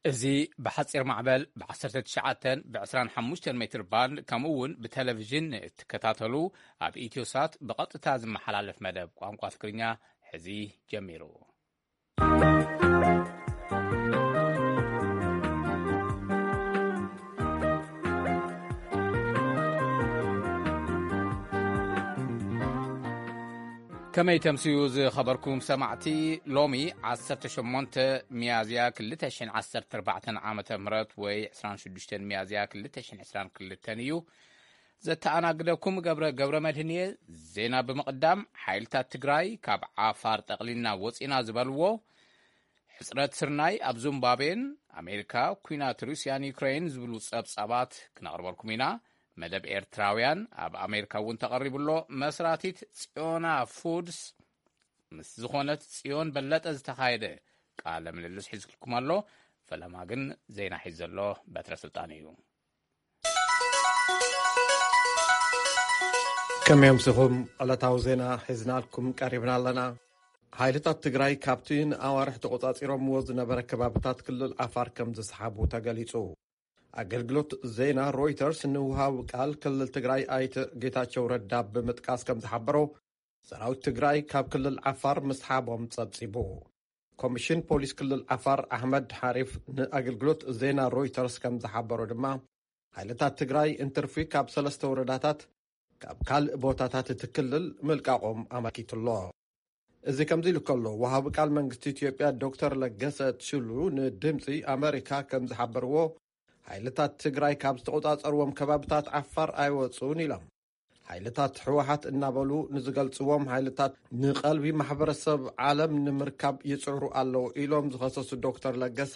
እዚ ብሓጺር ማዕበል ብ19 ብ25 ሜትር ባንድ፣ ከምኡ እውን ብቴሌቪዥን እትከታተሉ፣ ኣብ ኢትዮሳት ብቐጥታ ዝመሓላለፍ መደብ ቋንቋ ትግርኛ ሕዚ ጀሚሩ። ከመይ ተምስዩ ዝኸበርኩም ሰማዕቲ? ሎሚ 18 ሚያዝያ 2014 ዓመተ ምህረት ወይ 26 ሚያዝያ 2022 እዩ። ዘተኣናግደኩም ገብረ፣ ገብረ መድህን እየ። ዜና ብምቕዳም፣ ሓይልታት ትግራይ ካብ ዓፋር ጠቕሊልና ወፂና ዝበልዎ፣ ሕጽረት ስርናይ ኣብ ዙምባቤን ኣሜሪካ፣ ኲናት ሩስያን ዩክሬን ዝብሉ ጸብጻባት ክነቕርበልኩም ኢና። መደብ ኤርትራውያን ኣብ ኣሜሪካ እውን ተቐሪቡ ኣሎ። መስራቲት ጽዮና ፉድስ ምስ ዝኾነት ጽዮን በለጠ ዝተኻየደ ቃለ ምልልስ ሒዝልኩም ኣሎ። ፈለማ ግን ዜና ሒዝ ዘሎ በትረ ስልጣን እዩ። ከመይ ኣምሲኹም? ዕለታዊ ዜና ሒዝናልኩም ቀሪብና ኣለና። ሓይልታት ትግራይ ካብቲ ንኣዋርሕ ተቖጻጺሮምዎ ዝነበረ ከባብታት ክልል ዓፋር ከም ዝሰሓቡ ተገሊጹ። ኣገልግሎት ዜና ሮይተርስ ንውሃቢ ቃል ክልል ትግራይ ኣይተ ጌታቸው ረዳ ብምጥቃስ ከም ዝሓበሮ፣ ሰራዊት ትግራይ ካብ ክልል ዓፋር ምስሓቦም ጸብጺቡ። ኮሚሽን ፖሊስ ክልል ዓፋር ኣሕመድ ሓሪፍ ንኣገልግሎት ዜና ሮይተርስ ከም ዝሓበሮ ድማ፣ ሓይልታት ትግራይ እንትርፊ ካብ ሰለስተ ወረዳታት ካብ ካልእ ቦታታት እቲ ክልል ምልቃቖም ኣመልኪቱ ኣሎ። እዚ ከምዚ ኢሉ ከሎ፣ ወሃቢ ቃል መንግስቲ ኢትዮጵያ ዶክተር ለገሰ ቱሉ ንድምፂ ኣመሪካ ከም ዝሓበርዎ፣ ሓይልታት ትግራይ ካብ ዝተቆጻጸርዎም ከባብታት ዓፋር ኣይወጹን ኢሎም። ሓይልታት ህወሓት እናበሉ ንዝገልጽዎም ሓይልታት ንቐልቢ ማሕበረሰብ ዓለም ንምርካብ ይጽዕሩ ኣለዉ ኢሎም ዝኸሰሱ ዶክተር ለገሰ፣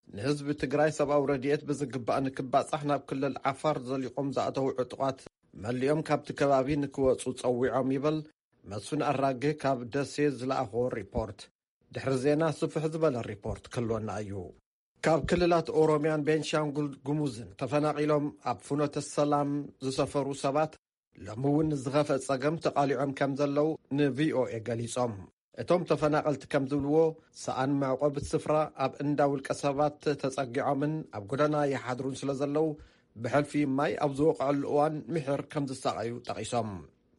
ንህዝቢ ትግራይ ሰብኣዊ ረድኤት ብዝግባእ ንክባጻሕ ናብ ክልል ዓፋር ዘሊቖም ዝኣተዉ ዕጡቓት መሊኦም ካብቲ ከባቢ ንክወጹ ጸዊዖም ይብል። መስፍን ኣራጌ ካብ ደሴ ዝለኣኾ ሪፖርት። ድሕሪ ዜና ስፍሕ ዝበለ ሪፖርት ክህልወና እዩ። ካብ ክልላት ኦሮሚያን ቤንሻንጉል ጉሙዝን ተፈናቒሎም ኣብ ፍኖተ ሰላም ዝሰፈሩ ሰባት ሎሚ እውን ንዝኸፍአ ጸገም ተቓሊዖም ከም ዘለዉ ንቪኦኤ ገሊጾም። እቶም ተፈናቐልቲ ከም ዝብልዎ፣ ሰኣን መዕቆቢ ስፍራ ኣብ እንዳ ውልቀ ሰባት ተጸጊዖምን ኣብ ጎደና ይሓድሩን ስለ ዘለዉ፣ ብሕልፊ ማይ ኣብ ዝወቕዐሉ እዋን ምሒር ከም ዝሳቐዩ ጠቒሶም።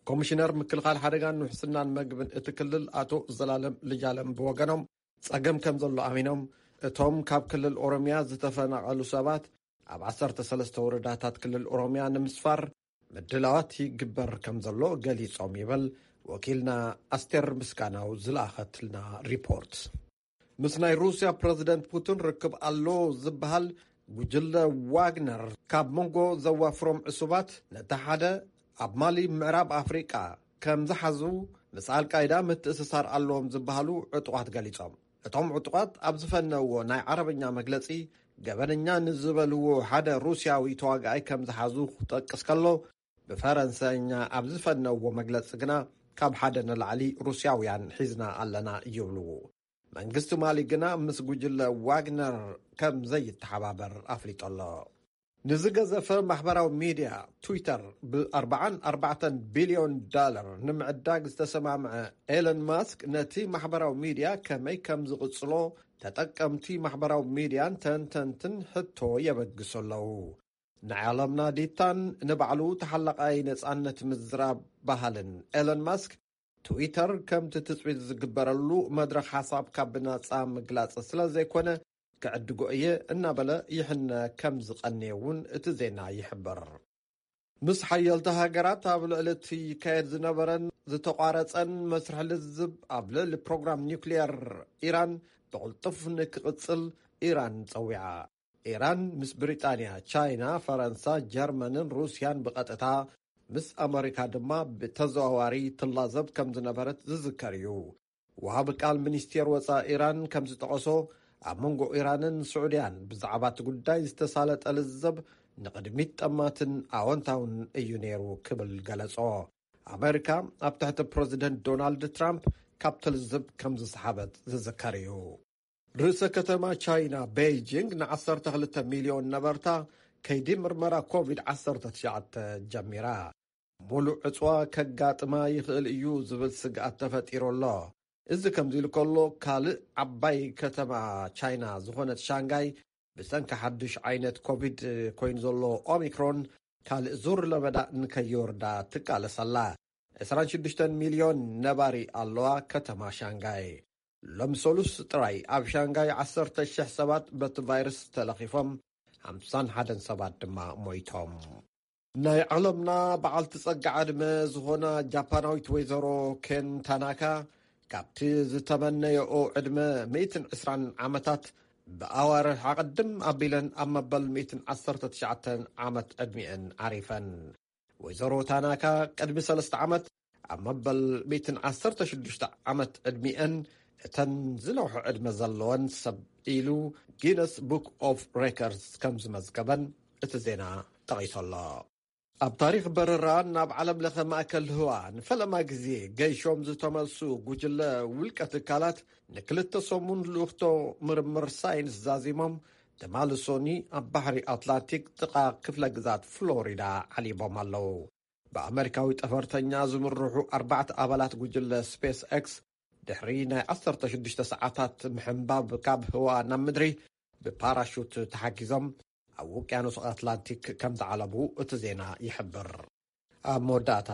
ኮሚሽነር ምክልኻል ሓደጋን ውሕስናን መግብን እቲ ክልል ኣቶ ዘላለም ልጃለም ብወገኖም፣ ጸገም ከም ዘሎ ኣሚኖም፣ እቶም ካብ ክልል ኦሮሚያ ዝተፈናቐሉ ሰባት ኣብ 13 ወረዳታት ክልል ኦሮሚያ ንምስፋር ምድላዋት ይግበር ከም ዘሎ ገሊጾም ይብል ወኪልና ኣስቴር ምስጋናው ዝለኣኸትልና ሪፖርት። ምስ ናይ ሩስያ ፕረዚደንት ፑቲን ርክብ ኣሎ ዝበሃል ጉጅለ ዋግነር ካብ መንጎ ዘዋፍሮም ዕሱባት ነቲ ሓደ ኣብ ማሊ ምዕራብ ኣፍሪቃ ከም ዝሓዙ፣ ምስ ኣልቃይዳ ምትእስሳር ኣለዎም ዝበሃሉ ዕጡቓት ገሊጾም። እቶም ዕጡቓት ኣብ ዝፈነውዎ ናይ ዓረብኛ መግለጺ፣ ገበነኛ ንዝበልዎ ሓደ ሩስያዊ ተዋጋኣይ ከም ዝሓዙ ክጠቅስ ከሎ፣ ብፈረንሰኛ ኣብ ዝፈነውዎ መግለጺ ግና፣ ካብ ሓደ ንላዕሊ ሩስያውያን ሒዝና ኣለና ይብሉ። መንግስቲ ማሊ ግና ምስ ጉጅለ ዋግነር ከም ዘይተሓባበር ኣፍሊጡ ኣሎ። ንዝገዘፈ ማሕበራዊ ሚድያ ትዊተር ብ44 ቢልዮን ዳለር ንምዕዳግ ዝተሰማምዐ ኤለን ማስክ፣ ነቲ ማሕበራዊ ሚድያ ከመይ ከም ዝቕጽሎ ተጠቀምቲ ማሕበራዊ ሚድያን ተንተንትን ሕቶ የበግሱ ኣለዉ። ንዓለምና ዲታን ንባዕሉ ተሓላቓይ ነጻነት ምዝራብ ባህልን ኤለን ማስክ፣ ትዊተር ከምቲ ትጽቢት ዝግበረሉ መድረኽ ሓሳብ ካብ ብናጻ ምግላጽ ስለ ዘይኮነ፣ ክዕድጎ እየ እናበለ ይሕነ ከም ዝቐንየ እውን እቲ ዜና ይሕብር። ምስ ሓየልቲ ሃገራት ኣብ ልዕሊ እቲ ይካየድ ዝነበረን ዝተቋረጸን መስርሕ ልዝብ ኣብ ልዕሊ ፕሮግራም ኒውክሊየር ኢራን ብቕልጡፍ ንክቕጽል ኢራን ጸዊዓ። ኢራን ምስ ብሪጣንያ፣ ቻይና፣ ፈረንሳ፣ ጀርመንን ሩስያን ብቐጥታ፣ ምስ ኣመሪካ ድማ ብተዘዋዋሪ ትላዘብ ከም ዝነበረት ዝዝከር እዩ። ወሃቢ ቃል ሚኒስቴር ወጻኢ ኢራን ከም ዝጠቐሶ፣ ኣብ መንጎ ኢራንን ስዑድያን ብዛዕባ እቲ ጉዳይ ዝተሳለጠ ልዘብ ንቕድሚት ጠማትን ኣወንታውን እዩ ነይሩ ክብል ገለጾ። ኣመሪካ ኣብ ትሕቲ ፕረዚደንት ዶናልድ ትራምፕ ካብ ትልዝብ ከም ዝሰሓበት ዝዝከር እዩ። ርእሰ ከተማ ቻይና ቤይጂንግ ን12 ሚልዮን ነበርታ ከይዲ ምርመራ ኮቪድ-19 ጀሚራ። ሙሉእ ዕጽዋ ከጋጥማ ይኽእል እዩ ዝብል ስግኣት ተፈጢሩ ኣሎ። እዚ ከምዚ ኢሉ ከሎ፣ ካልእ ዓባይ ከተማ ቻይና ዝኾነት ሻንጋይ ብሰንኪ ሓድሽ ዓይነት ኮቪድ ኮይኑ ዘሎ ኦሚክሮን ካልእ ዙር ለበዳ ንከይወርዳ ትቃለስ ኣላ። ዕስራን ሽዱሽተን ሚልዮን ነባሪ ኣለዋ ከተማ ሻንጋይ። ሎም ሰሉስ ጥራይ ኣብ ሻንጋይ ዓሰርተ ሽሕ ሰባት በቲ ቫይረስ ተለኺፎም፣ ሓምሳን ሓደን ሰባት ድማ ሞይቶም። ናይ ዓለምና በዓልቲ ጸጋ ዕድመ ዝኾና ጃፓናዊት ወይዘሮ ኬን ታናካ፣ ካብቲ ዝተመነየኦ ዕድመ ሚእትን ዕስራን ዓመታት፣ ብኣዋርሕ ኣቐድም ኣቢለን ኣብ መበል ሚእትን ዓሰርተ ትሽዓተን ዓመት ዕድሚኤን ዓሪፈን። ወይዘሮ ታናካ ቅድሚ ሰለስተ ዓመት ኣብ መበል ሚእትን ዓሰርተ ሽዱሽተ ዓመት ዕድሚኤን፣ እተን ዝነውሑ ዕድመ ዘለወን ሰብ ኢሉ ጊነስ ቡክ ኦፍ ሬከርድስ ከም ዝመዝገበን እቲ ዜና ጠቒሱ ኣሎ። ኣብ ታሪኽ በረራ ናብ ዓለም ለኸ ማእከል ህዋ ንፈለማ ግዜ ገይሾም ዝተመልሱ ጉጅለ ውልቀ ትካላት፣ ንክልተ ሰሙን ልኡኽቶ ምርምር ሳይንስ ዛዚሞም፣ ትማሊ ሶኒ ኣብ ባሕሪ ኣትላንቲክ ጥቓ ክፍለ ግዛት ፍሎሪዳ ዓሊቦም ኣለዉ። ብኣመሪካዊ ጠፈርተኛ ዝምርሑ ኣርባዕተ ኣባላት ጉጅለ ስፔስ ኤክስ፣ ድሕሪ ናይ ዓሰርተ ሽዱሽተ ሰዓታት ምሕንባብ ካብ ህዋ ናብ ምድሪ፣ ብፓራሹት ተሓጊዞም ኣብ ውቅያኖስ ኣትላንቲክ ከም ዝዓለቡ እቲ ዜና ይሕብር። ኣብ መወዳእታ፣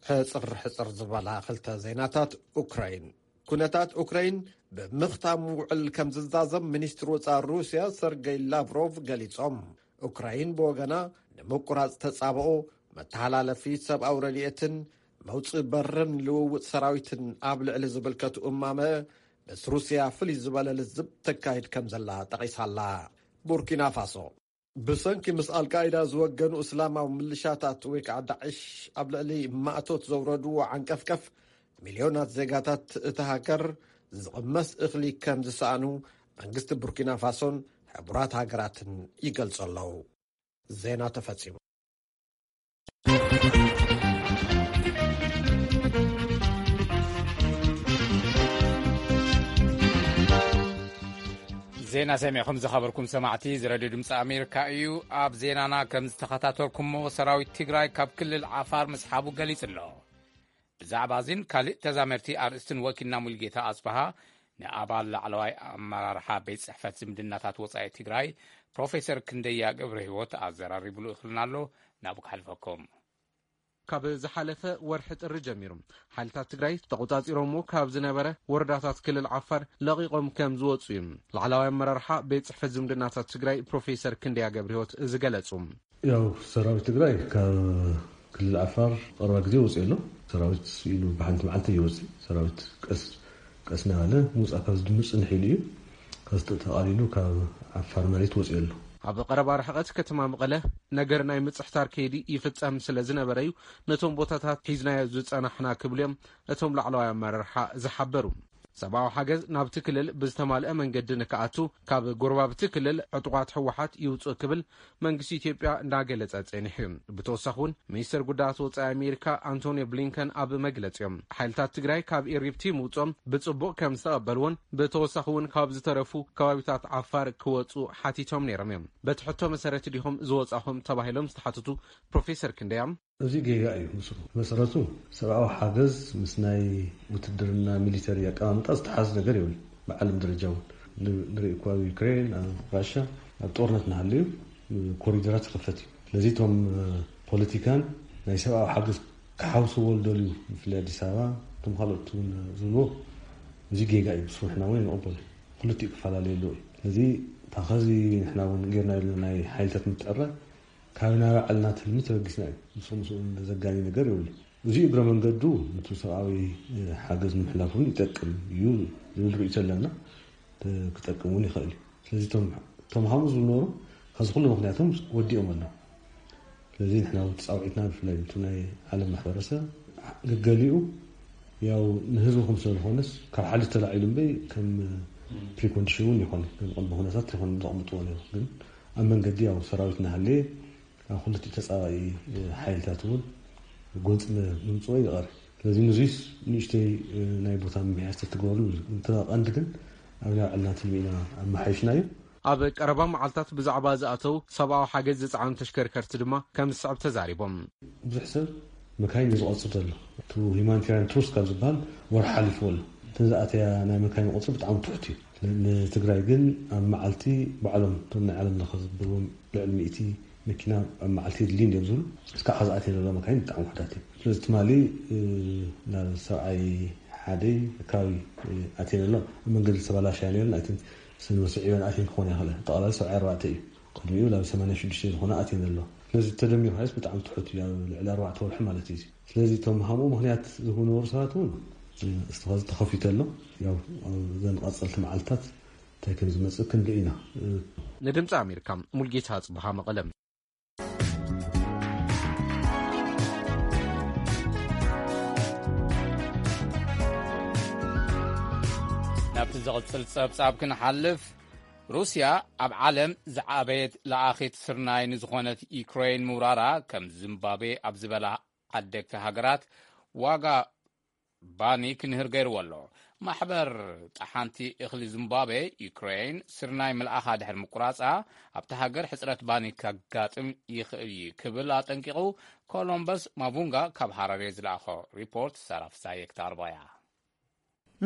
ሕጽር ሕጽር ዝበላ ክልተ ዜናታት ኡክራይን። ኩነታት ኡክራይን ብምኽታም ውዕል ከም ዝዛዘም ሚኒስትሪ ወጻኢ ሩስያ ሰርገይ ላቭሮቭ ገሊጾም። ኡክራይን ብወገና፣ ንምቁራጽ ተጻብኦ፣ መተሓላለፊ ሰብኣዊ ረድኤትን መውጽኢ በርን ልውውጥ ሰራዊትን ኣብ ልዕሊ ዝብልከቱ እማመ፣ ምስ ሩስያ ፍልይ ዝበለ ልዝብ ተካይድ ከም ዘላ ጠቒሳላ። ቡርኪና ፋሶ፣ ብሰንኪ ምስ ኣልቃይዳ ዝወገኑ እስላማዊ ምልሻታት ወይ ከዓ ዳዕሽ ኣብ ልዕሊ ማእቶት ዘውረድዎ ዓንቀፍቀፍ፣ ሚልዮናት ዜጋታት እታ ሃገር ዝቕመስ እኽሊ ከም ዝሰኣኑ መንግስቲ ቡርኪና ፋሶን ሕቡራት ሃገራትን ይገልጹ ኣለዉ። ዜና ተፈጺሙ። ዜና ሰሚዕኹም ዝኸበርኩም ሰማዕቲ፣ እዚ ሬድዮ ድምፂ ኣሜሪካ እዩ። ኣብ ዜናና ከም ዝተኸታተልኩሞ፣ ሰራዊት ትግራይ ካብ ክልል ዓፋር ምስሓቡ ገሊጹ ኣሎ። ብዛዕባ እዚን ካልእ ተዛመድቲ ኣርእስትን ወኪልና ሙልጌታ ኣጽበሃ ንኣባል ላዕለዋይ ኣመራርሓ ቤት ጽሕፈት ዝምድናታት ወጻኢ ትግራይ ፕሮፌሰር ክንደያ ገብረ ህይወት ኣዘራሪቡ ልእኽልና ኣሎ። ናብኡ ክሓልፈኩም። ካብ ዝሓለፈ ወርሒ ጥሪ ጀሚሩ፣ ሓይልታት ትግራይ ተቖጻጺሮሞ ካብ ዝነበረ ወረዳታት ክልል ዓፋር ለቒቖም ከም ዝወጹ እዩ ላዕለዋይ ኣመራርሓ ቤት ጽሕፈት ዝምድናታት ትግራይ ፕሮፌሰር ክንደያ ገብረ ህይወት ዝገለጹ። ያው ሰራዊት ትግራይ ካብ ክልል ዓፋር ቀረባ ግዜ ወፂኡ ኣሎ። ሰራዊት ኢሉ ብሓንቲ መዓልቲ ይወፅእ። ሰራዊት ቀስ ቀስ እናበለ ምውፃእ ካብ ዝድምፅ ንሒሉ እዩ። ከዚ ተቓሊሉ ካብ ዓፋር መሬት ወፂኡ ኣሎ። ኣብ ቀረባ ርሕቐት ከተማ መቐለ ነገር ናይ ምፅሕታር ከይዲ ይፍፀም ስለ ዝነበረ እዩ ነቶም ቦታታት ሒዝናዮ ዝፀናሕና ክብሉ እዮም እቶም ላዕለዋይ ኣመራርሓ ዝሓበሩ። ሰብኣዊ ሓገዝ ናብቲ ክልል ብዝተማልአ መንገዲ ንክኣቱ ካብ ጎረባብቲ ክልል ዕጡቓት ህወሓት ይውፅእ ክብል መንግስቲ ኢትዮጵያ እንዳገለጸ ጸኒሑ እዩ። ብተወሳኺ እውን ሚኒስተር ጉዳያት ወጻኢ ኣሜሪካ ኣንቶኒዮ ብሊንከን ኣብ መግለጺኦም ሓይልታት ትግራይ ካብ ኢሪብቲ ምውጾም ብጽቡቕ ከም ዝተቐበልዎን ብተወሳኺ እውን ካብ ዝተረፉ ከባቢታት ዓፋር ክወጹ ሓቲቶም ነይሮም እዮም። በቲ ሕቶ መሰረት ዲኹም ዝወጻኹም ተባሂሎም ዝተሓተቱ ፕሮፌሰር ክንደያ እዚ ጌጋ እዩ። ምስ መሰረቱ ሰብኣዊ ሓገዝ ምስ ናይ ውትድርና ሚሊተሪ ኣቀማምጣ ዝተሓዝ ነገር የብሉ። ብዓለም ደረጃ እውን ን- ንርኢ እኳ ኣብ ዩክሬን፣ ኣብ ራሻ ኣብ ጦርነት እናሃለዩ ኮሪደራት ይኸፈት እዩ። ስለዚ እቶም ፖለቲካን ናይ ሰብኣዊ ሓገዝ ክሓውስዎ ዝደልዩ ብፍላይ ኣዲስ ኣበባ እቶም ካልኦት እውን ዝብልዎ እዚ ጌጋ እዩ። ንሱ ንሕና እውን ንቕበሎ። ክልቲኡ ክፈላለዩ ኣለዎ እዩ። ስለዚ ታኸዚ ንሕና እውን ጌርና የብልና ናይ ሓይልታት ምትዕራይ ካብ ናይ ባዕልና ትልሚ ተበጊስና እዩ። ምስ ምስኡ ዘጋኒ ነገር የብሉ። እዚ እግረ መንገዱ ነቲ ሰብኣዊ ሓገዝ ንምሕላፍ እውን ይጠቅም እዩ ዝብል ርእይቶ ኣለና። ክጠቅም እውን ይኽእል እዩ። ስለዚ እቶም እቶም ሃምኡ ዝነበሩ ካብዚ ኩሉ ምክንያቶም ወዲኦም ኣለዉ። ስለዚ ንሕና እውን ተፃውዒትና ብፍላይ ነቲ ናይ ዓለም ማሕበረሰብ ገገሊኡ ያው ንህዝብኹም ስለ ዝኾነስ ካብ ሓድሽ ተላዒሉ እምበይ ከም ፕሪኮንዲሽን እውን ይኾን ከም ቅድመ ኩነታት ይኾን ዘቕምጥዎ ነይሩ። ግን ኣብ መንገዲ ያው ሰራዊት እናሃለየ ኣብ ክልቲኡ ተፃባኢ ሓይልታት እውን ጎንፂ ምምፅኦ ይቐር። ስለዚ ንዙይስ ንእሽተይ ናይ ቦታ ምምሕያሽ ተትገብሩ። እንተ ቀንዲ ግን ኣብ ናይ ባዕልና ትልሚ ኢና ኣመሓይሽናዮ። ኣብ ቀረባ መዓልታት ብዛዕባ ዝኣተው ሰብኣዊ ሓገዝ ዝፀዓኑ ተሽከርከርቲ ድማ ከም ዝስዕብ ተዛሪቦም። ብዙሕ ሰብ መካይን እዩ ዝቐፅር ዘሎ። እቲ ሂማኒታርያን ትሩስ ካብ ዝበሃል ወርሒ ሓሊፍዎ ኣሎ። እተን ዝኣተያ ናይ መካይን ቁፅሪ ብጣዕሚ ትሑት እዩ። ንትግራይ ግን ኣብ መዓልቲ ባዕሎም እቶም ናይ ዓለም ለኸ ዝብልዎም ልዕሊ ሚእቲ መኪና ኣብ መዓልቲ የድልይ እዮም ዝብሉ። እስካዕ ከዚ ኣትየን ዘሎ መካይን ብጣዕሚ ውሕዳት እዮም። ስለዚ ትማሊ ናብ ሰብዓይ ሓደይ ከባቢ ኣትየን ኣሎ። ኣብ መንገዲ ዝተባላሻ ነይረን ኣይትን ስንወስዕ ኢበን ኣትየን ክኾን ይኽእለ ጠቕላላ ሰብዓይ ኣርባዕተ እዩ። ቅድሚኡ ናብ ሰማንያ ሽዱሽተ ዝኾነ ኣትየን ዘሎ። ስለዚ ተደሚሩ ከይስ ብጣዕሚ ትሑት እዩ። ልዕሊ ኣርባዕተ ወርሒ ማለት እዩ። ስለዚ እቶም ሃምኡ ምክንያት ዝህቡ ነበሩ ሰባት እውን እስቲ ተኸፊቱ ኣሎ። ያው እዘን ቀፀልቲ መዓልታት እንታይ ከም ዝመፅእ ክንርኢ ኢና። ንድምፂ ኣሜሪካ ሙልጌታ ኣፅብሃ መቐለም። ናብቲ ዝቕጽል ጸብጻብ ክንሓልፍ፣ ሩስያ ኣብ ዓለም ዝዓበየት ለኣኺት ስርናይ ንዝኾነት ዩክሬን ምውራራ፣ ከም ዚምባብዌ ኣብ ዝበላ ዓደግቲ ሃገራት ዋጋ ባኒ ክንህር ገይርዎ ኣሎ። ማሕበር ጠሓንቲ እኽሊ ዚምባብዌ፣ ዩክሬን ስርናይ ምልኣኻ ድሕሪ ምቁራጻ፣ ኣብቲ ሃገር ሕጽረት ባኒ ከጋጥም ይኽእል እዩ ክብል ኣጠንቂቑ። ኮሎምበስ ማቡንጋ ካብ ሃራሬ ዝለኣኾ ሪፖርት ሳራ ፍሳየ ክተቕርቦ እያ።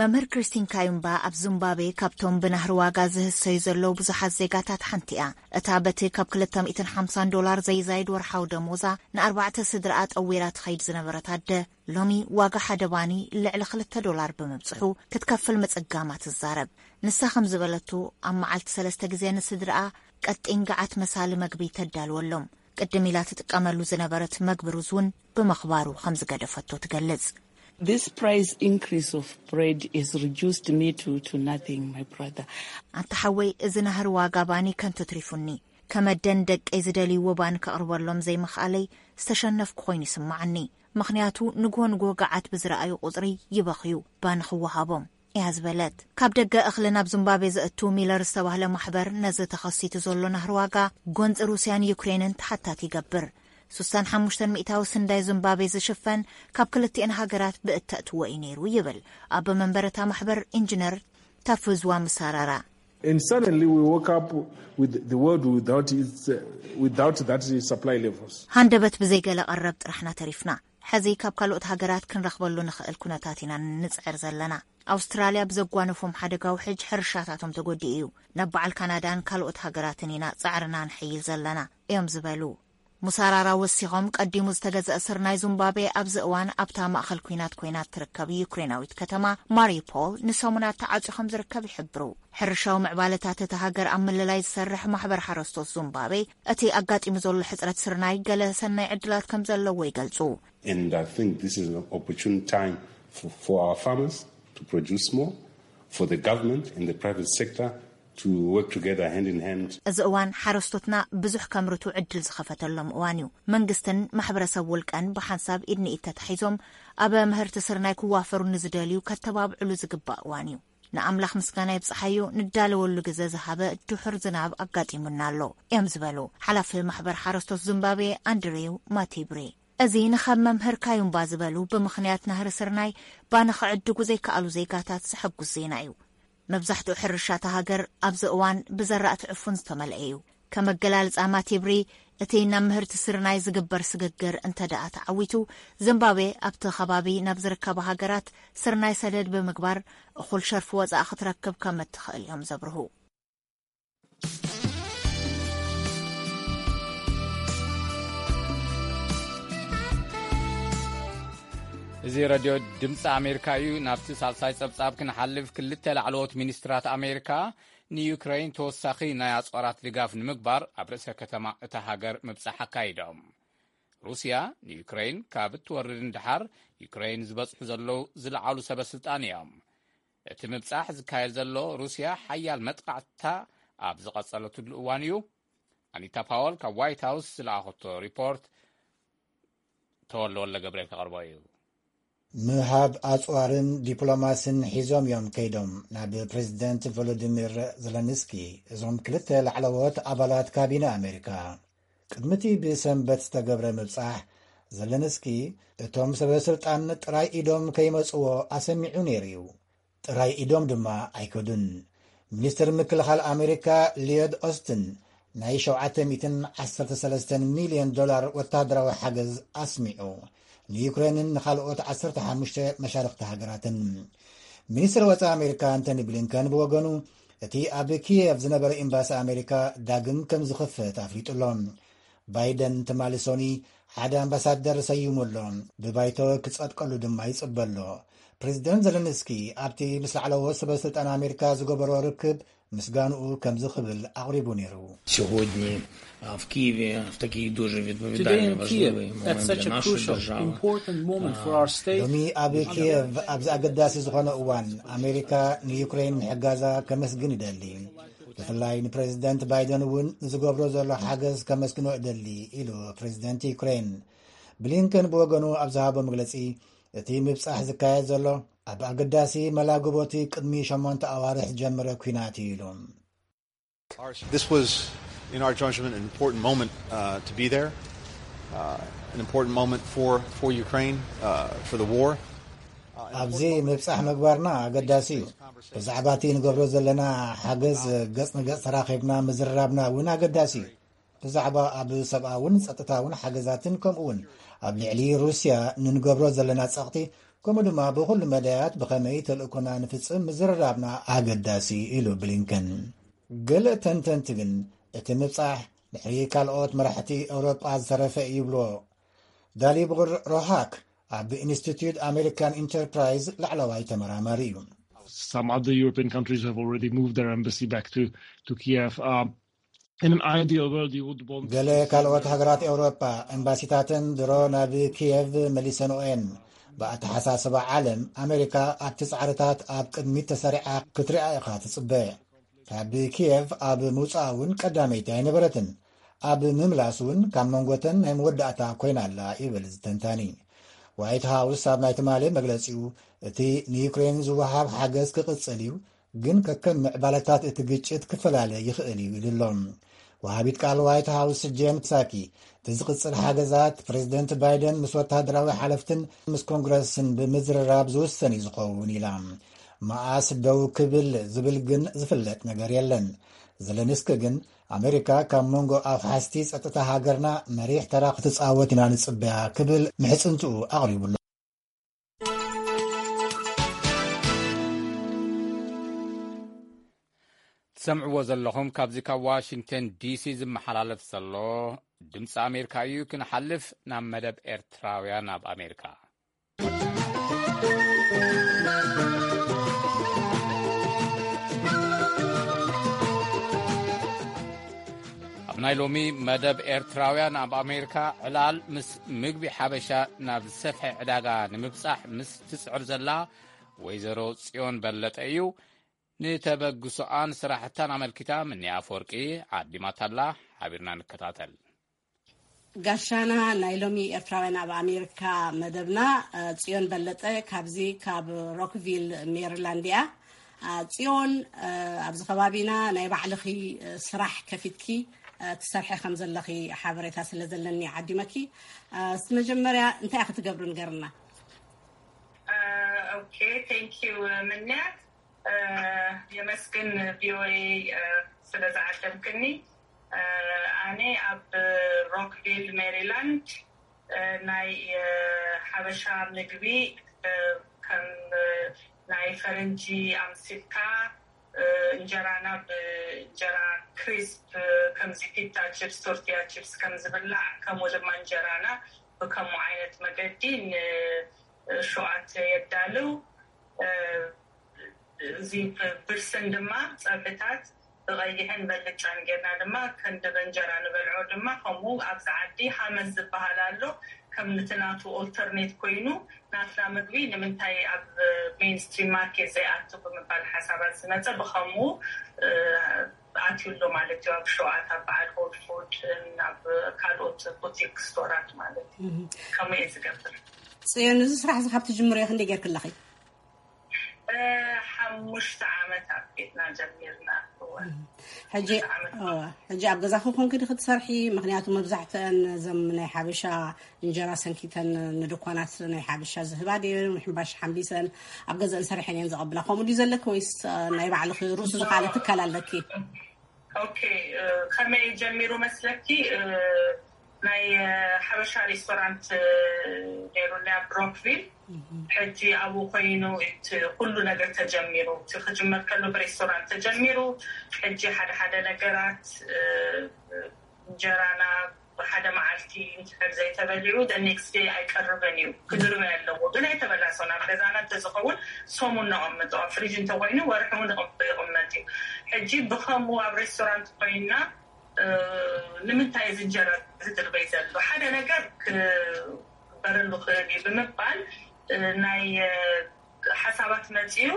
መምህር ክሪስቲን ካዩምባ ኣብ ዚምባብዌ ካብቶም ብናህሪ ዋጋ ዝህሰዩ ዘለዉ ብዙሓት ዜጋታት ሓንቲ እያ። እታ በቲ ካብ ክልተ ሚእትን ሓምሳን ዶላር ዘይዛይድ ወርሓዊ ደሞዛ ንኣርባዕተ ስድራኣ ጠዊራ ትኸይድ ዝነበረት ኣደ፣ ሎሚ ዋጋ ሓደ ባኒ ልዕሊ ክልተ ዶላር ብምብጽሑ ክትከፍል ምጽጋማ ትዛረብ። ንሳ ከም ዝበለቶ፣ ኣብ መዓልቲ ሰለስተ ግዜ ንስድራኣ ቀጢን ገዓት መሳሊ መግቢ ተዳልወሎም። ቅድም ኢላ ትጥቀመሉ ዝነበረት መግቢ ሩዝ እውን ብምኽባሩ ከም ዝገደፈቶ ትገልጽ። This price increase of bread has reduced me to, to nothing, my brother. ኣንታ ሓወይ፣ እዚ ናህሪ ዋጋ ባኒ ከንቱ ትሪፉኒ። ከመደን ደቀይ ዝደልይዎ ባኒ ከቕርበሎም ዘይምኽኣለይ ዝተሸነፍኩ ኮይኑ ይስምዓኒ። ምኽንያቱ ንግሆ ንግሆ ገዓት ብዝረኣዩ ቁጽሪ ይበኽዩ፣ ባኒ ክወሃቦም እያ ዝበለት። ካብ ደገ እኽሊ ናብ ዚምባብዌ ዘእቱ ሚለር ዝተባህለ ማሕበር፣ ነዚ ተኸሲቱ ዘሎ ናህሪ ዋጋ ጎንፂ ሩስያን ዩክሬንን ተሓታቲ ይገብር። ስሳን ሓሙሽተን ሚእታዊ ስንዳይ ዚምባብዌ ዝሽፈን ካብ ክልቲኤን ሃገራት ብእተእትዎ እዩ ነይሩ ይብል ኣብ መንበረታ ማሕበር ኢንጂነር ታፉዝዋ ምሳራራ። And suddenly we woke up with the world without its, uh, without that supply levels. ሃንደበት ብዘይገለ ቀረብ ጥራሕና ተሪፍና። ሕዚ ካብ ካልኦት ሃገራት ክንረኽበሉ ንኽእል ኩነታት ኢና ንጽዕር ዘለና። ኣውስትራልያ ብዘጓነፎም ሓደጋ ውሕጅ ሕርሻታቶም ተጎዲኡ እዩ። ናብ በዓል ካናዳን ካልኦት ሃገራትን ኢና ጻዕርና ንሕይል ዘለና እዮም ዝበሉ። ሙሳራራ ወሲኾም፣ ቀዲሙ ዝተገዝአ ስርናይ ዚምባብዌ ኣብዚ እዋን ኣብታ ማእኸል ኲናት ኮይና እትርከብ ዩክሬናዊት ከተማ ማሪፖል ንሰሙናት ተዓጽዩ ከም ዝርከብ ይሕብሩ። ሕርሻዊ ምዕባለታት እታ ሃገር ኣብ ምልላይ ዝሰርሕ ማሕበር ሓረስቶት ዚምባብዌ፣ እቲ ኣጋጢሙ ዘሎ ሕጽረት ስርናይ ገለ ሰናይ ዕድላት ከም ዘለዎ ይገልጹ። And I think this is an opportune time for, for our farmers to produce more, for the government and the private sector to work together hand in hand. እዚ እዋን ሓረስቶትና ብዙሕ ከምርቱ ዕድል ዝኸፈተሎም እዋን እዩ። መንግስትን ማሕበረሰብ ውልቀን ብሓንሳብ ኢድ ንኢድ ተታሒዞም ኣብ ምህርቲ ስርናይ ክዋፈሩ ንዝደልዩ ከተባብዕሉ ዝግባእ እዋን እዩ። ንኣምላኽ ምስጋና ይብጽሓዮ፣ ንዳለወሉ ግዘ ዝሃበ ድሑር ዝናብ ኣጋጢሙና ኣሎ እዮም ዝበሉ ሓላፊ ማሕበር ሓረስቶት ዚምባብዌ ኣንድሬው ማቲብሪ። እዚ ንኸም መምህር ካዩምባ ዝበሉ ብምኽንያት ናህሪ ስርናይ ባኒ ክዕድጉ ዘይከኣሉ ዜጋታት ዘሐጉስ ዜና እዩ። መብዛሕትኡ ሕርሻ እታ ሃገር ኣብዚ እዋን ብዘራእቲ ዕፉን ዝተመልአ እዩ። ከም ኣገላልጻ ማቲብሪ፣ እቲ ናብ ምህርቲ ስርናይ ዝግበር ስግግር እንተ ደኣ ተዓዊቱ፣ ዚምባብዌ ኣብቲ ከባቢ ናብ ዝርከባ ሃገራት ስርናይ ሰደድ ብምግባር እኹል ሸርፊ ወጻኢ ክትረክብ ከም እትኽእል እዮም ዘብርሁ። እዚ ረድዮ ድምፂ ኣሜሪካ እዩ። ናብቲ ሳልሳይ ጸብጻብ ክንሓልፍ፣ ክልተ ላዕለዎት ሚኒስትራት ኣሜሪካ ንዩክረይን ተወሳኺ ናይ ኣጽዋራት ድጋፍ ንምግባር ኣብ ርእሰ ከተማ እታ ሃገር ምብጻሕ ኣካይዶም። ሩስያ ንዩክረይን ካብ እትወርድ ንደሓር፣ ዩክረይን ዝበጽሑ ዘለዉ ዝለዓሉ ሰበ ስልጣን እዮም። እቲ ምብጻሕ ዝካየድ ዘሎ፣ ሩስያ ሓያል መጥቃዕትታ ኣብ ዝቐጸለትሉ እዋን እዩ። ኣኒታ ፓወል ካብ ዋይት ሃውስ ዝለኣኸቶ ሪፖርት ተወልደ ወልደ ገብርኤል ከቕርቦ እዩ። ምሃብ ኣጽዋርን ዲፕሎማስን ሒዞም እዮም ከይዶም ናብ ፕሬዚደንት ቮሎዲሚር ዘለንስኪ እዞም ክልተ ላዕለዎት ኣባላት ካቢነ ኣሜሪካ። ቅድሚ እቲ ብሰንበት ዝተገብረ ምብጻሕ፣ ዘለንስኪ እቶም ሰበ ስልጣን ጥራይ ኢዶም ከይመጽዎ ኣሰሚዑ ነይሩ እዩ። ጥራይ ኢዶም ድማ ኣይከዱን። ሚኒስትር ምክልኻል ኣሜሪካ ሊዮድ ኦስትን ናይ ሸውዓተ ሚእትን ዓሰርተ ሰለስተን ሚልዮን ዶላር ወታደራዊ ሓገዝ ኣስሚዑ፣ ንዩክሬንን ንኻልኦት ዓሰርተ ሓሙሽተ መሻርኽቲ ሃገራትን። ሚኒስትር ወጻኢ ኣሜሪካ ኣንቶኒ ብሊንከን ብወገኑ፣ እቲ ኣብ ኪየቭ ዝነበረ ኤምባሲ ኣሜሪካ ዳግም ከም ዝኽፈት ኣፍሊጡ ኣሎ። ባይደን ትማሊ ሶኒ ሓደ ኣምባሳደር ሰይሙ ኣሎ። ብባይቶ ክጸድቀሉ ድማ ይጽበ ኣሎ። ፕሬዚደንት ዘለንስኪ ኣብቲ ምስ ላዕለዎት ሰበ ስልጣን ኣሜሪካ ዝገበሮ ርክብ ምስጋንኡ ከምዚ ክብል ኣቕሪቡ ነይሩ። Сьогодні а, в Києві в такий дуже Today відповідальний in Kiev, важливий at момент such для a нашої crucial, держави. Important moment for our state, ሎሚ ኣብ ኪየቭ ኣብዚ ኣገዳሲ ዝኾነ እዋን ኣሜሪካ ንዩክሬን ምሕጋዛ ከመስግን ይደሊ። ብፍላይ ንፕሬዚደንት ባይደን እውን ንዝገብሮ ዘሎ ሓገዝ ከመስግኖ እደሊ ኢሉ ፕሬዚደንት ዩክሬን። ብሊንከን ብወገኑ ኣብ ዝሃቦ መግለጺ እቲ ምብጻሕ ዝካየድ ዘሎ ኣብ ኣገዳሲ መላግቦቲ ቅድሚ ሸሞንተ ኣዋርሕ ዝጀመረ ኲናት እዩ ኢሉ። This was, in our judgment, an important moment uh, to be there, uh, an important moment for, for Ukraine, uh, for the war. ኣብዚ ምብጻሕ ምግባርና ኣገዳሲ እዩ። ብዛዕባ እቲ ንገብሮ ዘለና ሓገዝ ገጽ ንገጽ ተራኺብና ምዝርራብና እውን ኣገዳሲ እዩ። ብዛዕባ ኣብ ሰብኣውን ጸጥታውን ሓገዛትን ከምኡውን ኣብ ልዕሊ ሩስያ ንንገብሮ ዘለና ጸቕጢ ከምኡ ድማ ብኹሉ መዳያት ብኸመይ ተልእኮና ንፍጽም ምዝርራብና ኣገዳሲ ኢሉ ብሊንከን። ገለ ተንተንቲ ግን እቲ ምብጻሕ ድሕሪ ካልኦት መራሕቲ ኤውሮጳ ዝተረፈ እዩ ይብሎ። ዳሊቡር ሮሃክ ኣብ ኢንስቲትዩት ኣሜሪካን ኢንተርፕራይዝ ላዕለዋይ ተመራማሪ እዩ። Some other European countries have already moved their embassy back to, to Kiev. Um, in an ideal world, you would want ገለ ካልኦት ሃገራት ኤውሮጳ ኤምባሲታተን ድሮ ናብ ኪየቭ መሊሰንኦ እየን። ብኣተሓሳስባ ዓለም ኣሜሪካ ኣብቲ ጻዕርታት ኣብ ቅድሚት ተሰሪዓ ክትሪኣ ኢኻ ትጽበ። ካብ ኪየቭ ኣብ ምውጻእ እውን ቀዳመይቲ ኣይነበረትን። ኣብ ምምላስ እውን ካብ መንጎተን ናይ መወዳእታ ኮይና ኣላ ይብል ዝተንታኒ። ዋይት ሃውስ ኣብ ናይ ትማሊ መግለጺኡ እቲ ንዩክሬን ዝወሃብ ሓገዝ ክቕጽል እዩ፣ ግን ከከም ምዕባለታት እቲ ግጭት ክፈላለ ይኽእል እዩ ኢሉ ኣሎ። ወሃቢት ቃል ዋይት ሃውስ ጄን ሳኪ እቲ ዝቕጽል ሓገዛት ፕሬዚደንት ባይደን ምስ ወታደራዊ ሓለፍትን ምስ ኮንግረስን ብምዝርራብ ዝውሰን እዩ ዝኸውን ኢላ። መኣስ ደው ክብል ዝብል ግን ዝፍለጥ ነገር የለን። ዘለንስኪ ግን ኣሜሪካ ካብ መንጎ ኣፍሓስቲ ጸጥታ ሃገርና መሪሕ ተራ ክትጻወት ኢና ንጽበያ ክብል ምሕጽንትኡ ኣቕሪቡ ኣሎ። ትሰምዕዎ ዘለኹም ካብዚ ካብ ዋሽንግተን ዲሲ ዝመሓላለፍ ዘሎ ድምፂ ኣሜሪካ እዩ። ክንሓልፍ ናብ መደብ ኤርትራውያን ኣብ ኣሜሪካ። ኣብ ናይ ሎሚ መደብ ኤርትራውያን ኣብ ኣሜሪካ ዕላል ምስ ምግቢ ሓበሻ ናብ ዝሰፍሐ ዕዳጋ ንምብጻሕ ምስ ትጽዕር ዘላ ወይዘሮ ጽዮን በለጠ እዩ። ንተበግሶኣን ስራሕታን ኣመልኪታ ምኒ ኣፈወርቂ ዓዲማታላ። ሓቢርና ንከታተል። ጋሻና ናይ ሎሚ ኤርትራውያን ኣብ ኣሜሪካ መደብና፣ ጽዮን በለጠ ካብዚ ካብ ሮክቪል ሜሪላንድ እያ። ጽዮን፣ ኣብዚ ከባቢና ናይ ባዕልኺ ስራሕ ከፊትኪ ትሰርሐ ከም ዘለኺ ሓበሬታ ስለ ዘለኒ ዓዲመኪ። እስቲ መጀመርያ እንታይ ክትገብሪ ንገርና? ኦኬ፣ ቴንክ ዩ ምንያት። የመስግን ቪኦኤ ስለ ዝዓደምክኒ። ኣነ ኣብ ሮክቪል ሜሪላንድ ናይ ሓበሻ ምግቢ ከም ናይ ፈረንጂ ኣምሲልካ እንጀራና ብእንጀራ ክሪስፕ ከምዚ ፒታ ቺፕስ ቶርቲያ ቺፕስ ከም ዝብላዕ ከምኡ ድማ እንጀራና ብከምኡ ዓይነት መገዲ ንሸዋት የዳልው። እዚ ብርስን ድማ ፀብሕታት ብቐይሕን በልጫን ጌርና ድማ ከንዲ በእንጀራ ንበልዖ ድማ ከምኡ ኣብዚ ዓዲ ሃመስ ዝበሃል ኣሎ ከም ንትናቱ ኦልተርኔት ኮይኑ ናትና ምግቢ ንምንታይ ኣብ ሜንስትሪም ማርኬት ዘይኣቱ ብምባል ሓሳባት ዝመፀ ብኸምኡ ኣትዩ ኣሎ ማለት እዩ። ኣብ ሸዋት ኣብ በዓል ሆል ፉድ ኣብ ካልኦት ቡቲክ ስቶራት ማለት እዩ። ከምኡ እየ ዝገብር። ፅዮን፣ እዚ ስራሕ እዚ ካብ ትጅምርዮ ክንደይ ጌርክለኺ? ሓሙሽተ ዓመት ኣብ ቤትና ጀሚርና። ሕጂ ኣብ ገዛኺ ኮንኪ ዲኺ ትሰርሒ? ምክንያቱ መብዛሕትአን እዞም ናይ ሓበሻ እንጀራ ሰንኪተን ንድኳናት ናይ ሓበሻ ዝህባ ድየን ሕምባሽ ሓምቢሰን ኣብ ገዛን ሰሪሐን እየን ዘቐብላ። ከምኡ ድዩ ዘለኪ ወይስ ናይ ባዕልኺ ርእሱ ዝኸኣለ ትካል ኣለኪ? ኦኬ፣ ከመይ ጀሚሩ መስለኪ? ናይ ሓበሻ ሬስቶራንት ነይሩ ናይ ብሮክቪል። ሕጂ ኣብኡ ኮይኑ እቲ ኩሉ ነገር ተጀሚሩ። እቲ ክጅመር ከሎ ብሬስቶራንት ተጀሚሩ። ሕጂ ሓደ ሓደ ነገራት እንጀራና ሓደ መዓልቲ እንድሕር ዘይተበሊዑ ኔክስት ዴይ ኣይቀርብን እዩ። ክድርበ ኣለዎ ግን ኣይተበላሰን ኣብ ገዛና እንተዝኸውን ሰሙን ነቐምጦ ኣብ ፍሪጅ እንተኮይኑ ወርሒ እውን ይቕመጥ እዩ። ሕጂ ብኸምኡ ኣብ ሬስቶራንት ኮይና ንምንታይ እዚ እንጀራ ዝድርበይ ዘሎ ሓደ ነገር ክበረሉ ክእል እዩ ብምባል ናይ ሓሳባት መፅዩ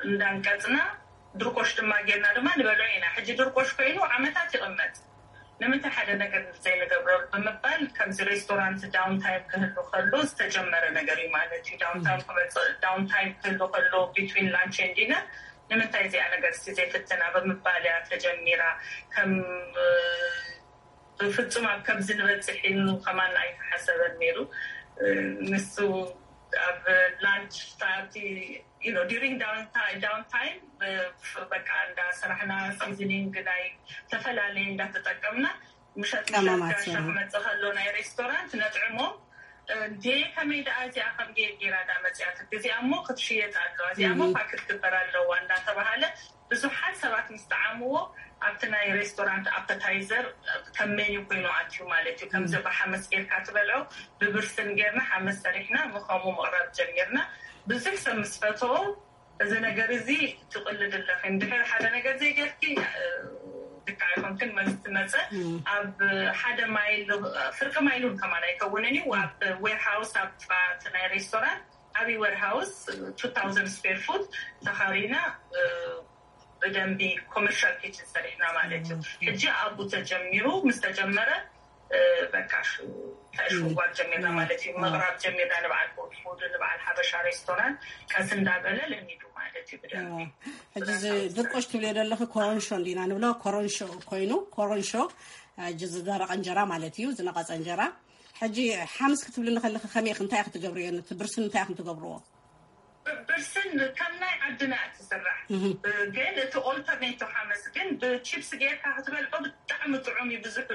እንዳንቀፅና ድርቆሽ ድማ ጌርና ድማ ንበልዖ ኢና። ሕጂ ድርቆሽ ኮይኑ ዓመታት ይቕመጥ ንምንታይ ሓደ ነገር ዘይንገብረሉ ብምባል ከምዚ ሬስቶራንት ዳውን ታይም ክህሉ ከሎ ዝተጀመረ ነገር እዩ ማለት እዩ። ዳውን ታይም ክመፅእ ዳውን ታይም ክህሉ ከሎ ቢትዊን ላንች ኤንድ ዲነር ንምንታይ እዚኣ ነገር ስ ዘይፍትና ብምባል እያ ተጀሚራ። ከም ብፍፁም ኣብ ከምዚ ንበፅሕ ኢሉ ከማን ኣይተሓሰበን ነይሩ። ንሱ ኣብ ላንች ፓርቲ ዲሪንግ ዳውን ታይም በቃ እንዳ ስራሕና ሲዝኒንግ ናይ ተፈላለየ እንዳተጠቀምና ምሸት ምሸት ጋሻ ክመፅእ ከሎ ናይ ሬስቶራንት ነጥዕሞ እንዴ ከመይ ደኣ እዚኣ ከም ጌር ጌራ ዳ መፅያት እዚኣ እሞ ክትሽየጥ ኣለዋ እዚኣ እሞ ፓክት ግበር ኣለዋ እንዳተባሃለ ብዙሓት ሰባት ምስ ጠዓምዎ ኣብቲ ናይ ሬስቶራንት ኣፐታይዘር ከም ሜኒ ኮይኑ ኣትዩ ማለት እዩ። ከምዚ ብሓመስ ጌርካ ትበልዖ ብብርስን ጌርና ሓመስ ሰሪሕና ምኸሙ ምቕራብ ጀሚርና። ብዙሕ ሰብ ምስ ፈተዎ እዚ ነገር እዚ ትቕልድ ኣለኺ እንድሕር ሓደ ነገር ዘይገርኪ ድካ ኣይኮንክን መስ ትመፀ ኣብ ሓደ ማይል ፍርቂ ማይል እውን ከማን ኣይከውንን እዩ ኣብ ዌርሃውስ ኣብ ናይ ሬስቶራንት ዓብይ ዌርሃውስ two thousand square foot ተኻሪና ብደንቢ ኮመርሻል ኪችን ሰሪሕና ማለት እዩ። ሕጂ ኣብኡ ተጀሚሩ ምስ ተጀመረ በቃ ሽዋር ጀሚርና ማለት እዩ። ምቕራብ ጀሚርና ንበዓል ፉድ ንበዓል ሓበሻ ሬስቶራንት ቀስ እንዳበለ ለሚዱ ማለት እዩ። ብደንቢ ሕጂ እዚ ድርቆሽ ትብልዮ ዘለኺ ኮረንሾ እንዲና ንብሎ ኮረንሾ ኮይኑ ኮረንሾ ሕጂ ዝደረቐ እንጀራ ማለት እዩ። ዝነቐፀ እንጀራ ሕጂ ሓምስ ክትብልኒ ከለኺ ከመይ ኢኺ እንታይ ክትገብርዮ ነቲ ብርስን እንታይ ኢኺ ትገብርዎ? ብርስን ከም ናይ ዓድና እትስራሕ ግን እቲ ኦልተርኔቶ ሓመስ ግን ብቺፕስ ጌርካ ክትበልዖ ብጣዕሚ ጥዑም እዩ። ብዙሕ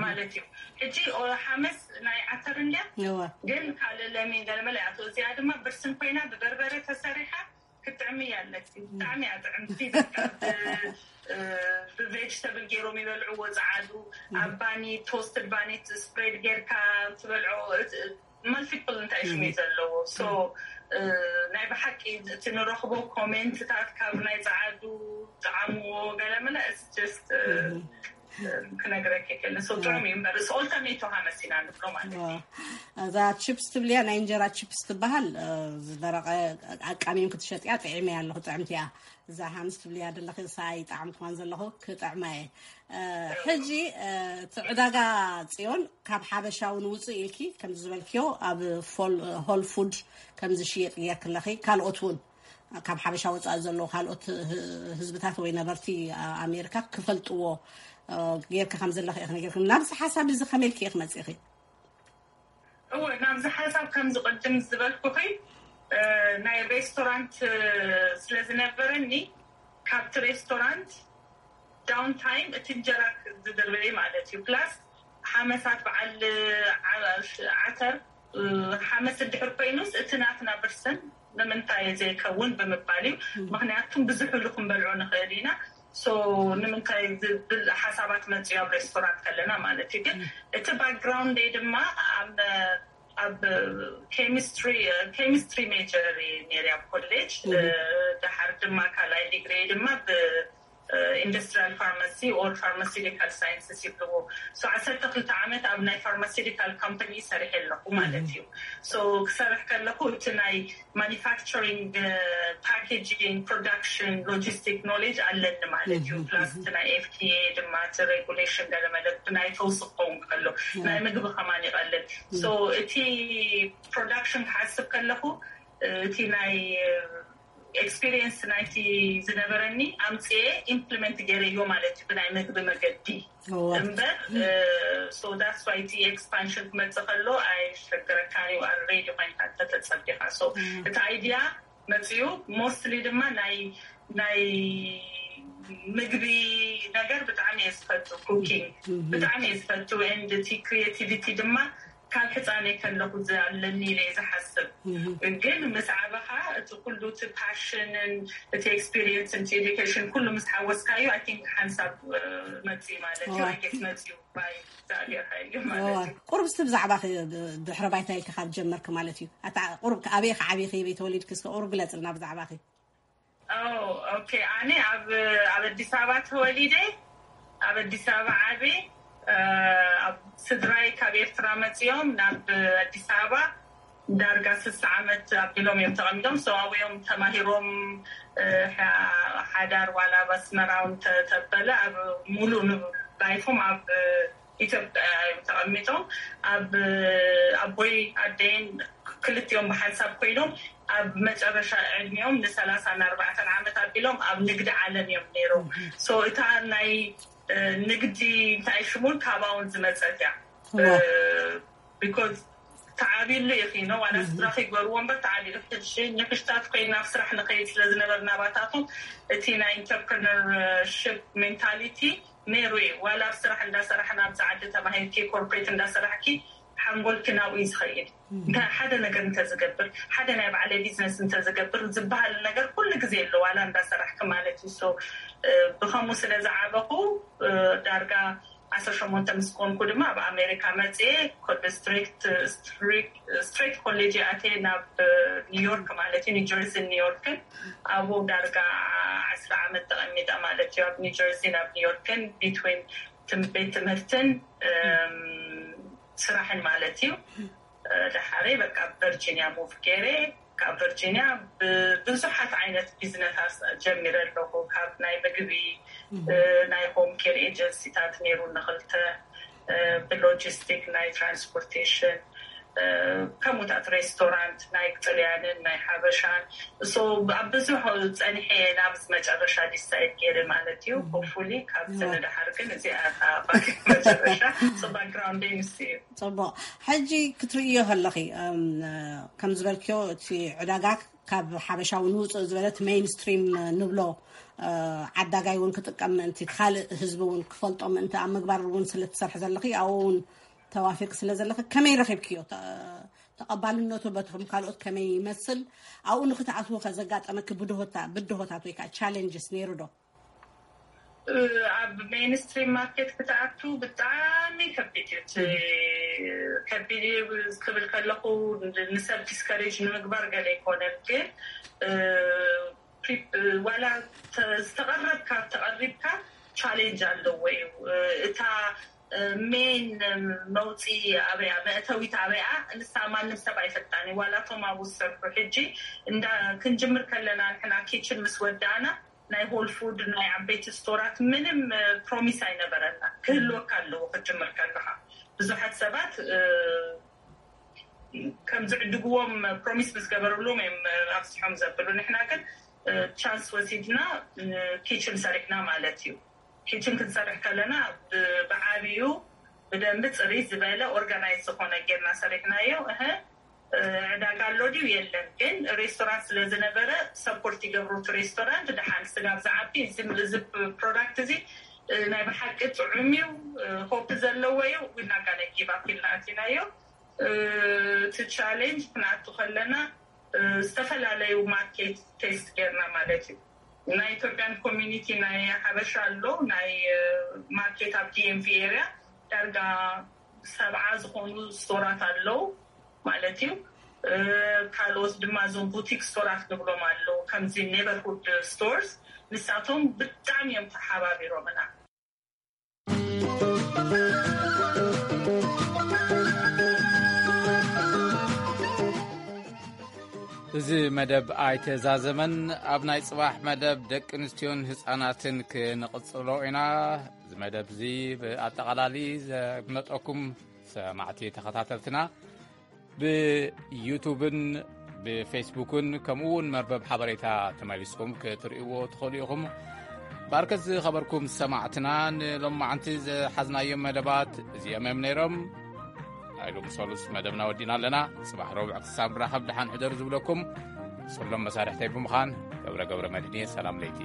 ማለት እዩ። ሕጂ ሓመስ ናይ ዓተር እንድያ ግን ካልእ ለሚን ገለመለ ኣቶ እዚኣ ድማ ብርስን ኮይና ብበርበረ ተሰሪሓ ክትጥዕሚ እያ ኣለኪ። ብጣዕሚ እያ ጥዕምቲ። ብቬጅተብል ገይሮም ይበልዕዎ ፃዓዱ ኣብ ባኒ ቶስትድ ባኒ ስፕሬድ ጌርካ ትበልዖ። ማልቲፕል እንታይ ሽሙ ዘለዎ ሶ ናይ ብሓቂ እቲ ንረኽቦ ኮሜንትታት ካብ ናይ ፃዓዱ ጣዕምዎ ገለመለ ስ ክነግረክ የክእል ሰው ጥዑም እዩ እምበር ስ ኦልተርኔቶ ሃመሲና ንብሎ ማለት እዩ። እዛ ቺፕስ ትብልያ ናይ እንጀራ ቺፕስ ትበሃል ዝደረቀ ኣቃሚም ክትሸጥያ ጥዒመያ ኣለኹ ጥዕምቲ እያ። እዛ ሃምስ ትብልያ ዘለኺ ንሳ ይጣዕምኩዋን ዘለኹ ክጥዕማ እየ። ሕጂ እቲ ዕዳጋ ፅዮን ካብ ሓበሻ እውን ውፅእ ኢልኪ ከምዚ ዝበልክዮ ኣብ ሆል ፉድ ከም ዝሽየጥ ጌርክ ኣለኺ ካልኦት እውን ካብ ሓበሻ ወፃኢ ዘለዉ ካልኦት ህዝብታት ወይ ነበርቲ ኣሜሪካ ክፈልጥዎ ጌርካ ከም ዘለኺ ኢኺ ነጊርክኒ። ናብዚ ሓሳብ እዚ ከመይ ኢልኪ ኢኺ መፂእኺ? እወ ናብዚ ሓሳብ ከምዚ ቅድም ዝበልኩኺ ናይ ሬስቶራንት ስለ ዝነበረኒ ካብቲ ሬስቶራንት ዳውን ታይም እቲ እንጀራ ዝድርበይ ማለት እዩ ፕላስ ሓመሳት በዓል ዓተር ሓመስ እንድሕር ኮይኑስ እቲ ናትና ብርስን ንምንታይ ዘይከውን ብምባል እዩ። ምክንያቱም ብዙሕ ሉ ክንበልዖ ንኽእል ኢና። ንምንታይ ዝብል ሓሳባት መፅዩ ኣብ ሬስቶራንት ከለና ማለት እዩ። ግን እቲ ባክግራውንድ ድማ ኣብ ኬሚስትሪ ሜጀር ነሪ ኣብ ኮሌጅ ድሓር ድማ ካልኣይ ዲግሪ ድማ ኢንዱስትሪያል ፋርማሲ ኦር ፋርማሲቲካል ሳይንስስ ይብልዎ። ዓሰርተ ክልተ ዓመት ኣብ ናይ ፋርማሲቲካል ካምፓኒ ሰሪሐ ኣለኹ ማለት እዩ። ክሰርሕ ከለኩ እቲ ናይ ማኒፋክቸሪንግ ፓኬጂንግ ፕሮዳክሽን ሎጂስቲክ ኖሌጅ ኣለኒ ማለት እዩ። ፕላስ እቲ ናይ ኤፍዲኤ ድማ እቲ ሬጉሌሽን ገለመለ ናይ ፈውሲ ክኸውን ከሎ ናይ ምግቢ ከማን ይቐልል። እቲ ፕሮዳክሽን ክሓስብ ከለኩ እቲ ናይ ኤክስፒሪየንስ ናይቲ ዝነበረኒ ኣምፅኤ ኢምፕሊመንት ገይረዮ ማለት እዩ ብናይ ምግቢ መገዲ እምበር። ዳስ ዋይ እቲ ኤክስፓንሽን ክመፅእ ከሎ ኣይሸገረካን እዩ ኣልሬዲ ኮይንካ እንተተፀቢኻ። እቲ ኣይዲያ መፅዩ ሞስትሊ ድማ ናይ ናይ ምግቢ ነገር ብጣዕሚ እየ ዝፈቱ፣ cooking ብጣዕሚ እየ ዝፈቱ። And እቲ creativity ድማ ካብ ሕፃነይ ከለኹ ኣለኒ ኢለ እየ ዝሓስብ። ግን ምስ ዓበኻ እቲ ኩሉ እቲ passion ን እቲ experience ን እቲ education ኩሉ ምስ ሓወስካዮ I think ሓንሳብ መፅእ ማለት እዩ። I guess መፅእ እዩ ባይ እግዚኣብሔር ሓይሊ ማለት እዩ። ቁሩብ እስቲ ብዛዕባኺ ድሕረ ባይታ ኢልኪ ካብ ጀመርኪ ማለት እዩ። ኣታ ቁሩብ ኣበይ ኢኺ ዓቢኺ፣ ኣበይ ተወሊድኪ? እስከ ቁሩብ ግለፅልና ብዛዕባኺ። ኦኬ፣ ኣነ ኣብ ኣብ ኣዲስ ኣበባ ተወሊደ፣ ኣብ ኣዲስ ኣበባ ዓብየ። ኣብ ስድራይ ካብ ኤርትራ መፅኦም ናብ ኣዲስ ኣበባ ዳርጋ ስሳ ዓመት ኣቢሎም እዮም ተቐሚጦም። ሰው ኣብኦም ተማሂሮም ሓዳር ዋላ ኣብ ኣስመራ እውን ተበለ ኣብ ሙሉእ ላይፎም ኣብ ኢትዮጵያ እዮም ተቐሚጦም። ኣብ ኣቦይ ኣደይን ክልቲኦም ብሓንሳብ ኮይኖም ኣብ መጨረሻ ዕድሚኦም ንሰላሳ ንኣርባዕተን ዓመት ኣቢሎም ኣብ ንግዲ ዓለም እዮም ነይሮም። So እታ ናይ ንግዲ እንታይ ሽሙን ካባውን ዝመፀት እያ። Because ተዓቢሉ ኢኺ ነው ዋላ ስድራኺ ይገርዎ እምበር ተዓቢሉ። ሕጂ ንክሽታት ኮይና ኣብ ስራሕ ንኸይድ ስለ ዝነበርና ባታቶም እቲ ናይ entrepreneurship mentality ነይሩ እዩ። ዋላ ኣብ ስራሕ እንዳሰራሕና ኣብዚ ዓዲ ተማሂርኪ ኮርፖሬት እንዳሰራሕኪ ሓንጎልኪ ናብኡ እዩ ዝኸይድ። እንታይ ሓደ ነገር እንተዝገብር ሓደ ናይ ባዕለይ ቢዝነስ እንተዝገብር ዝበሃል ነገር ኩሉ ግዜ ኣሎ ዋላ እንዳሰራሕኪ ማለት እዩ። So ብኸምኡ ስለ ዝዓበኹ ዳርጋ ዓሰርተ ሸሞንተ ምስ ኮንኩ ድማ ኣብ ኣሜሪካ መፅየ ኮ- ስትሬት ስትሬት ኮሌጅ ኣትየ ናብ ኒውዮርክ ማለት እዩ ኒውጀርሲን ኒውዮርክን ኣብኡ ዳርጋ ዓስራ ዓመት ተቐሚጠ ማለት እዩ ኣብ ኒውጀርሲን ኣብ ኒውዮርክን between ቤት ትምህርትን ስራሕን ማለት እዩ። ደሓረይ በቃ ቨርጂኒያ ሙቭ ገይረ ካብ ቨርጂኒያ ብዙሓት ዓይነት ቢዝነሳት ጀሚረ ኣለኹ። ካብ ናይ ምግቢ ናይ ሆም ኬር ኤጀንሲታት ነይሩ ንክልተ ብሎጂስቲክ ናይ ትራንስፖርቴሽን ከምኡታት ሬስቶራንት ናይ ጥልያንን ናይ ሓበሻን። So ኣብ ብዙሕ ፀኒሐ ናብ መጨረሻ ዲሳይድ ገይረ ማለት እዩ። ሆፕፉሊ ካብዚ ንደሓር ግን እዚኣ መጨረሻ ባክግራውንደይ ምስ እዩ። ፅቡቕ። ሕጂ ክትርእዮ ከለኺ ከም ዝበልክዮ እቲ ዕዳጋ ካብ ሓበሻ እውን ውፅእ ዝበለት ሜይንስትሪም ንብሎ ዓዳጋይ እውን ክጥቀም ምእንቲ ካልእ ህዝቢ እውን ክፈልጦ ምእንቲ ኣብ ምግባር እውን ስለትሰርሒ ዘለኺ ኣብኡ እውን ተዋፊርክ ስለ ዘለኺ ከመይ ረኺብክዮ? ተቐባልነቱ በትኹም ካልኦት ከመይ ይመስል? ኣብኡ ንክትኣትዎ ከዘጋጠመኪ ብድሆታ ብድሆታት ወይ ከዓ ቻሌንጅስ ነይሩ ዶ? ኣብ ሜይንስትሪም ማርኬት ክትኣቱ ብጣዕሚ ከቢድ እዩ። እቲ ከቢድ እዩ ክብል ከለኹ ንሰብ ዲስከሬጅ ንምግባር ገለ ኣይኮነን፣ ግን ዋላ ዝተቐረብካ ተቐሪብካ ቻሌንጅ ኣለዎ እዩ። እታ ሜን መውፂ ኣበያ መእተዊት ኣበያ ንሳ ማንም ሰብ ኣይፈልጣን እዩ። ዋላ እቶም ኣብኡ ዝሰርሑ ሕጂ እንዳ ክንጅምር ከለና ንሕና ኪችን ምስ ወዳእና ናይ ሆል ፉድ ናይ ዓበይቲ ስቶራት ምንም ፕሮሚስ ኣይነበረና። ክህልወካ ኣለዎ ክትጅምር ከለካ። ብዙሓት ሰባት ከም ዝዕድግዎም ፕሮሚስ ምስ ገበርሎም እዮም ኣብዝሖም ዘብሉ። ንሕና ግን ቻንስ ወሲድና ኪችን ሰሪሕና ማለት እዩ። ኪችን ክንሰርሕ ከለና ብዓብዩ ብደንቢ ፅሪ ዝበለ ኦርጋናይዝ ዝኾነ ጌርና ሰሪሕናዮ። እህ ዕዳጋ ኣሎ ድዩ የለን፣ ግን ሬስቶራንት ስለ ዝነበረ ሰፖርት ይገብሩ እቲ ሬስቶራንት። ደሓን ስጋብ ዝዓቢ እዚ ፕሮዳክት እዚ ናይ ብሓቂ ጥዑም እዩ፣ ሆፕ ዘለዎ እዩ። ዊናጋ ናይ ጊቭ ኣፕ ኢልና ኣቲናዮ። እቲ ቻሌንጅ ክንኣቱ ከለና ዝተፈላለዩ ማርኬት ቴስት ጌርና ማለት እዩ። ናይ ኢትዮጵያን ኮሚኒቲ ናይ ሓበሻ ኣሎ ናይ ማርኬት ኣብ ዲኤምቪ ኤሪያ ዳርጋ ሰብዓ ዝኾኑ ስቶራት ኣለዉ ማለት እዩ። ካልኦት ድማ እዞም ቡቲክ ስቶራት ንብሎም ኣለዉ ከምዚ ኔበርሁድ ስቶርስ፣ ንሳቶም ብጣዕሚ እዮም ተሓባቢሮምና። እዚ መደብ ኣይተዛዘመን። ኣብ ናይ ጽባሕ መደብ ደቂ ኣንስትዮን ህጻናትን ክንቕጽሎ ኢና። እዚ መደብ እዚ ብኣጠቓላሊ ዘድመጠኩም ሰማዕቲ ተኸታተልትና ብዩቱብን ብፌስቡክን ከምኡ እውን መርበብ ሓበሬታ ተመሊስኩም ክትርእይዎ ትኽእሉ ኢኹም። ባርከት ዝኸበርኩም ሰማዕትና ንሎማዓንቲ ዝሓዝናዮም መደባት እዚኦም እዮም ነይሮም። ናይ ሎሚ ሰሉስ መደብና ወዲና ኣለና። ጽባሕ ረቡዕ ክሳብ ንራኸብ ደሓን ሕደሩ ዝብለኩም ጽሎም መሳርሕተይ ብምዃን ገብረ ገብረ መድህን እየ። ሰላም ለይቲ።